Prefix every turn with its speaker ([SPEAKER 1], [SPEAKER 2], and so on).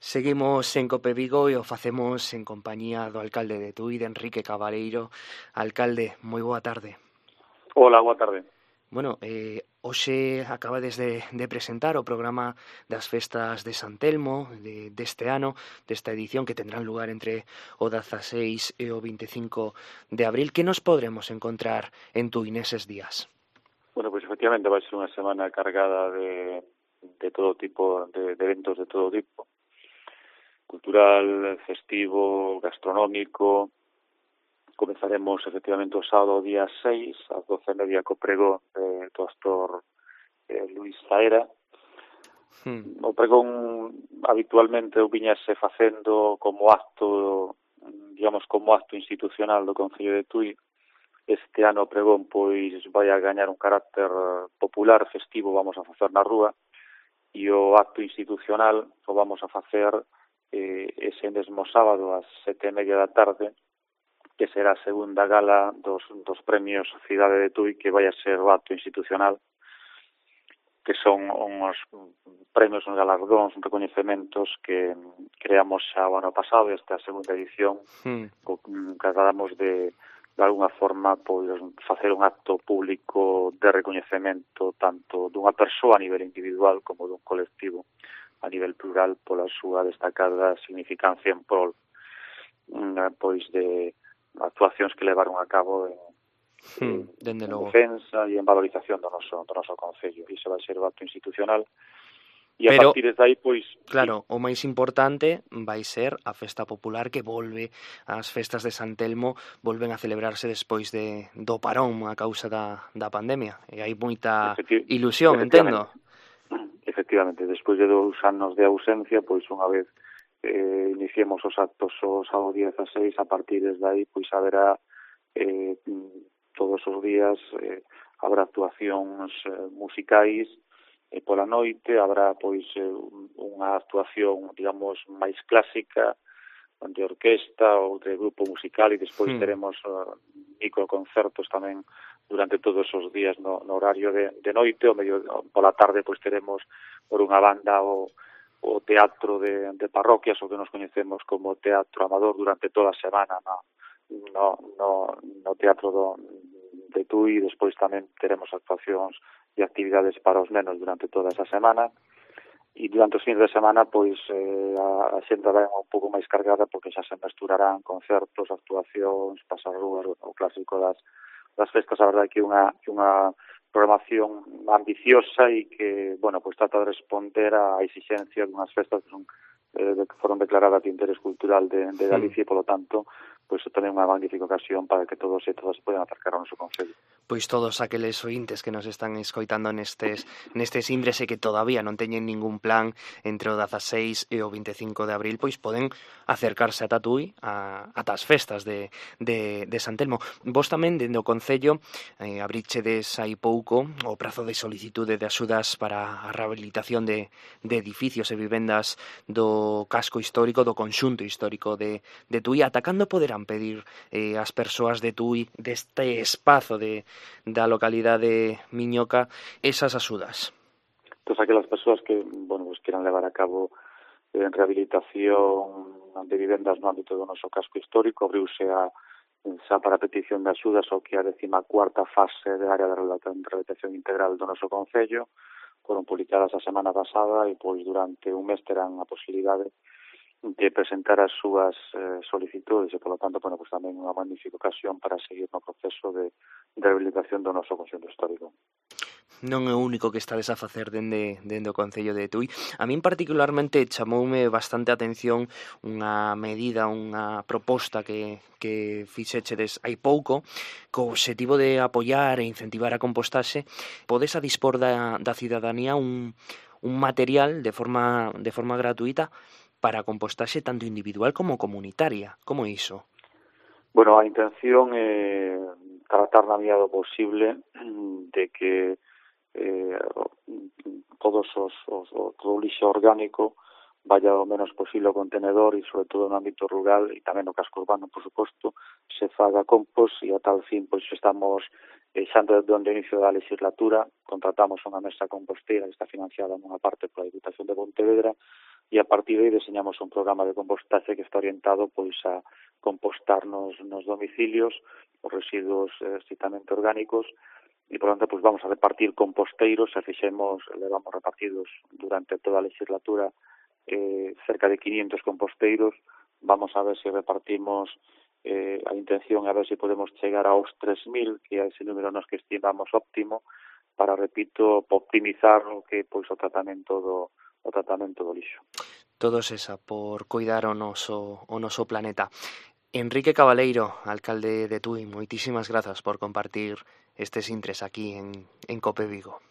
[SPEAKER 1] Seguimos en Cope Vigo e o facemos en compañía do alcalde de Tui, de Enrique Cabaleiro. Alcalde, moi boa tarde.
[SPEAKER 2] Hola, boa tarde.
[SPEAKER 1] Bueno, hoxe acabades de presentar o programa das festas de San Telmo deste ano, desta edición que tendrán lugar entre o 16 e o 25 de abril. Que nos podremos encontrar en Tui neses días?
[SPEAKER 2] Bueno, pues efectivamente vai ser unha semana cargada de todo tipo, de eventos de todo tipo. Cultural, festivo, gastronómico. Comezaremos efectivamente o sábado día 6, ás 12:30 co pregón do actor Luis Zaera. O pregón habitualmente o viñase facendo como acto, digamos, como acto institucional do Concello de Tui. Este ano o pregón pois vai a gañar un carácter popular, festivo, vamos a facer na rúa, e o acto institucional o vamos a facer ese mesmo sábado ás 7:30 da tarde, que será a segunda gala dos premios Cidade de Tui, que vai a ser o acto institucional, que son uns premios, uns galardóns, uns recoñecementos que creamos xa o ano pasado, esta segunda edición, que tratamos de alguna forma pois facer un acto público de recoñecemento tanto dunha persoa a nivel individual como dun colectivo a nivel plural pola súa destacada significancia en prol pois de actuacións que levaron a cabo en defensa e en valorización do noso Concello. Iso vai ser o acto institucional. E a partir de aí, pois...
[SPEAKER 1] Claro, o máis importante vai ser a festa popular que volve, as festas de San Telmo volven a celebrarse despois do parón a causa da pandemia. E hai moita ilusión, entendo.
[SPEAKER 2] Efectivamente, despois de 2 anos de ausencia, pois unha vez iniciemos os actos o sábado 16, a partir de aí, pois haberá todos os días habrá actuacións musicais pola noite, habrá pois unha actuación, digamos, máis clásica de orquesta ou de grupo musical, e despois teremos microconcertos tamén durante todos os días no horario de noite, o medio pola tarde pois teremos por unha banda o teatro de parroquias, o que nos coñecemos como teatro amador, durante toda a semana no teatro de Tui. Despois tamén teremos actuacións e actividades para os nenos durante toda esa semana, e durante os fins de semana pois a xente vai un pouco máis cargada, porque xa se mesturarán concertos, actuacións, pasarrúas, o clásico das festas. A verdade que unha programación ambiciosa e que, bueno, pois trata de responder á exigencia dunhas festas que son que foron declaradas de interés cultural de Galicia, e, polo tanto, pois tamén unha magnífica ocasión para que todos e todas poden acercar ao noso Concello.
[SPEAKER 1] Pois todos aqueles ointes que nos están escoitando nestes imbres e que todavía non teñen ningún plan entre o 16 e o 25 de abril, pois poden acercarse a Tui ata as festas de San Telmo. Vos tamén, dende o Concello, abrichedes hai pouco o prazo de solicitude de axudas para a rehabilitación de edificios e vivendas do casco histórico, do conxunto histórico de Tui. Ata cando poderán pedir as persoas de Tui, deste espazo da localidade miñoca, esas axudas?
[SPEAKER 2] Todas aquelas persoas que, bueno, pues quieran levar a cabo rehabilitación de vivendas no ámbito do noso casco histórico, abriuse xa para petición de axudas o que a 14ª fase da área de rehabilitación integral do noso Concello. Foron publicadas a semana pasada e pois durante un mes terán a posibilidade de presentar as súas solicitudes, e, polo tanto, bueno, pues tamén unha magnífica ocasión para seguir no proceso de rehabilitación do noso conxunto histórico.
[SPEAKER 1] Non é o único que estades a facer dende o Concello de Tui. A min particularmente chamoume bastante a atención unha medida, unha proposta que fixechedes hai pouco, co obxectivo de apoiar e incentivar a compostaxe. Podes a dispor da cidadanía un material de forma gratuita para a compostaxe tanto individual como comunitaria. Como é iso?
[SPEAKER 2] Bueno, a intención é tratar na medida do posible de que todo o lixo orgánico vaya o menos posible o contenedor e sobre todo no ámbito rural e tamén no casco urbano, por suposto, se faga compost e a tal fin pois estamos xa desde o inicio da legislatura contratamos unha mesa composteira que está financiada nunha parte pola Diputación de Pontevedra e a partir de aí diseñamos un programa de compostaxe que está orientado pois a compostar nos domicilios os residuos estrictamente orgánicos e, por tanto, pois vamos a repartir composteiros, levamos repartidos durante toda a legislatura cerca de 500 composteiros, vamos a ver se repartimos a intención a ver se podemos chegar aos 3.000, que é ese número nos que estimamos óptimo, para, repito, optimizar o que pois o tratamento do lixo.
[SPEAKER 1] Todos esa, por cuidar o noso planeta. Enrique Cabaleiro, alcalde de Tui, moitísimas grazas por compartir estes intres aquí en Cope Vigo.